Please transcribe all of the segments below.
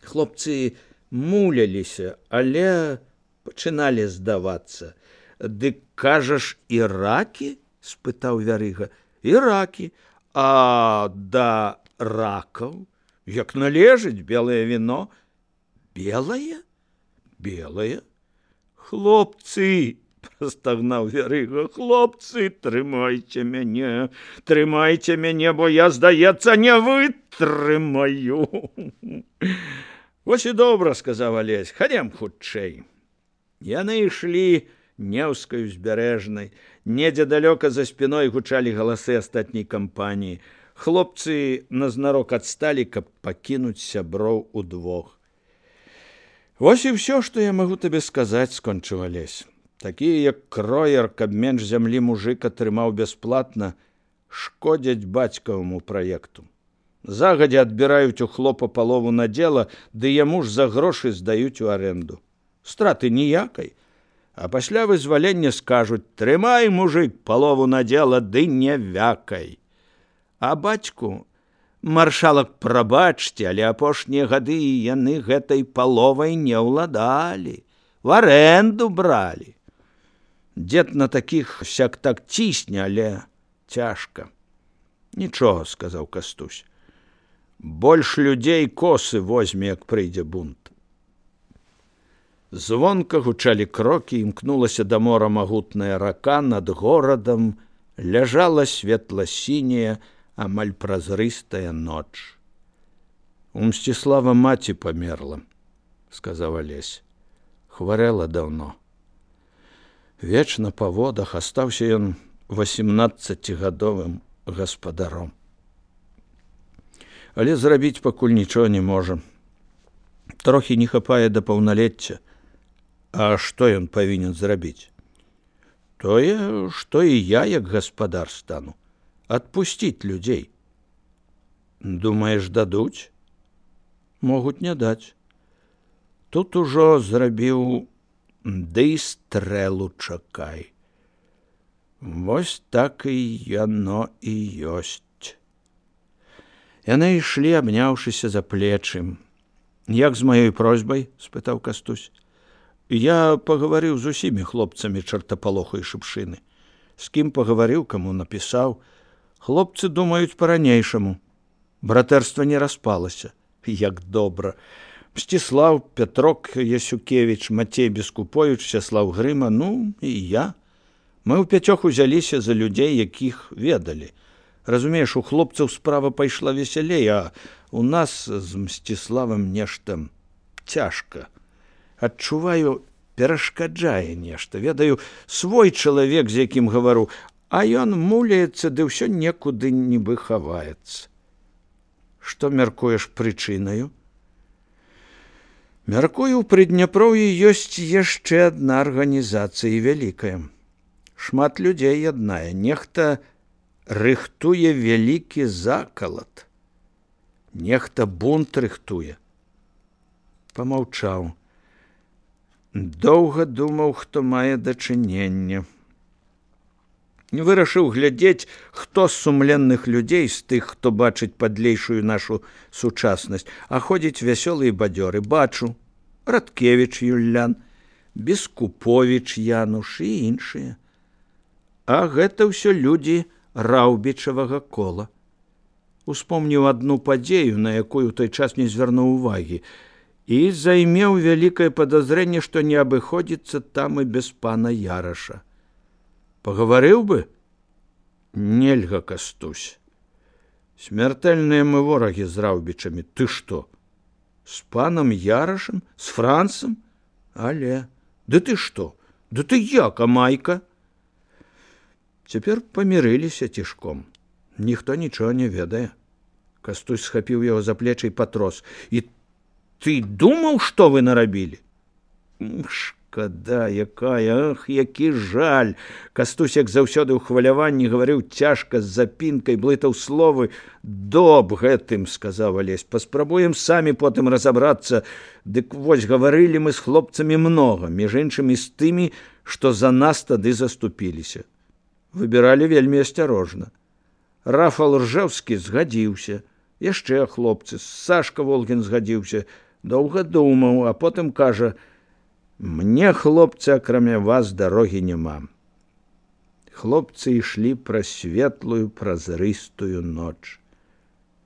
Хлопцы муляліся, але пачыналі здавацца. Дык, кажаш, иракі? — спытаў Вярыга. Иракі. А да ракаў? Як належыць, белае віно. Белае? Белае. Хлопцы, прастагнаў Вярыга, хлопцы, трымайце мяне, бо я, здаецца, не вытрымаю. Вось і добра, сказаў Алесь, хадзем хутчэй. Яны ішлі Неўскай узбярэжнай. Недзе далёка за спіной гучалі галасы астатняй кампаніі. Хлопцы назнарок адсталі, каб пакінуць сяброў удвох. Вось і ўсё, што я магу табе сказаць, скончыў Алесь. Такія, як кроер, каб менш зямлі мужык атрымаў бясплатна, шкодзяць бацькаваму праекту. Загадзя адбіраюць у хлопа палову надзела, ды яму ж за грошы здаюць у арэнду. Страты ніякай. А пасля вызвалення скажуць: трымай, мужык, палову надзела, ды не вякай. А бацьку, маршалак, прабачце, але апошнія гады яны гэтай паловай не ўладалі, в арэнду бралі. Дзед на такіх сяк-так цісне, але цяжка. Нічога, сказаў Кастусь. Больш людзей косы возьме, як прыйдзе бунт. Звонка гучалі крокі, імкнулася да мора магутная рака, над горадам ляжала светла-сіняя, амаль празрыстая ноч. У Мсціслава маці памерла, сказаў Алесь. Хварэла даўно. Вечна па водах астаўся ён 18гадовым гаспадаром. Але зрабіць пакуль нічога не можа. Трохі не хапае да паўналецця. А што ён павінен зрабіць? Тое, што і я, як гаспадар, стану. Адпусціць людзей. Думаеш, дадуць? Могуць не даць. Тут ужо зрабіў, ды стрэлу чакай. Вось так і яно і ёсць. Яны ішлі, абняўшыся за плечы. Як з маёй просьбай? — спытаў Кастусь. Я пагаварыў з усімі хлопцамі чартапалоху і шыпшыны. З кім пагаварыў, каму напісаў. Хлопцы думаюць па-ранейшаму. Братэрства не распалася. Як добра. Мсціслаў, Пятрок Ясюкевіч, Мацей Бескуповіч, Сяслаў Грыма, ну і я. Мы ўпяцёх узяліся за людзей, якіх ведалі. Разумееш, у хлопцаў справа пайшла весялей, а у нас з Мсціславам нешта цяжка. Адчуваю, перашкаджае нешта. Ведаю, свой чалавек, з якім гавару, а ён муляецца, ды ўсё некуды нібы хаваецца. Што мяркуеш прычынаю? Мяркую, у Прыдняпроўі ёсць яшчэ адна арганізацыя вялікая. Шмат людзей яднае. Нехта рыхтуе вялікі закалат. Нехта бунт рыхтуе. Памаўчаў. Доўга думаў, хто мае дачыненне. Вырашыў глядзець, хто з сумленных людзей, з тых, хто бачыць падлейшую нашу сучаснасць, а ходзіць вясёлы і бадзёры. Бачу: Радкевіч Юллян, Бескуповіч Януш і іншыя. А гэта ўсё людзі раўбічавага кола. Успомніў адну падзею, на якую ў той час не звярнуў увагі, і займеў вялікае падазрэнне, што не абыходзіцца там і без пана Яраша. Пагаварыў бы? Нельга, Кастусь. Смяртэльныя мы ворагі з раўбічамі. Ты што? З панам Ярашам? З Францам? Але... Ды ты што? Ды ты як, Амайка? Цяпер памірыліся цішком. Ніхто нічога не ведае. Кастусь схапіў яго за плечы і патрос. І ты думаў, што вы нарабілі? Шкада якая, ах, які жаль. Кастусь, як заўсёды ў хваляванні, гаварыў цяжка, з запінкай, блытаў словы. Доб гэтым, сказаў Алесь, паспрабуем самі потым разабрацца. Дык вось, гаварылі мы з хлопцамі многа, між іншым і з тымі, што за нас тады заступіліся. Выбіралі вельмі асцярожна. Рафал Ржэўскі згадзіўся, яшчэ хлопцы, Сашка Волгін згадзіўся, доўга думаў, а потым кажа: «Мне, хлопцы, акрамя вас дарогі няма». Хлопцы ішлі праз светлую празрыстую ноч.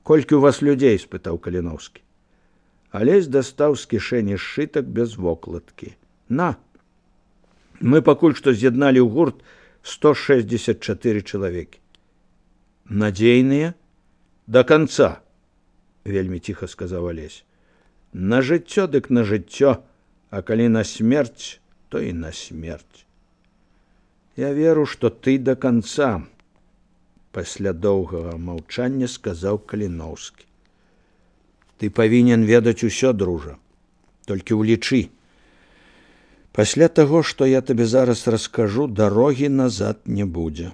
«Колькі ў вас людзей?» – спытаў Каліноўскі. Алесь дастаў з кішэні сшытак без вокладкі. «На! Мы пакуль што з'ядналі ў гурт 164 чалавекі». «Надзейныя?» «До конца», – вельмі ціха сказаў Алесь. «На жыццё дык на жыццё, а калі на смерць, то і на смерць». «Я веру, што ты до конца», – пасля доўгага маўчання сказаў Каліноўскі. «Ты павінен ведаць усё, дружа, толькі ўлічы. Пасля таго, што я табе зараз раскажу, дарогі назад не будзе.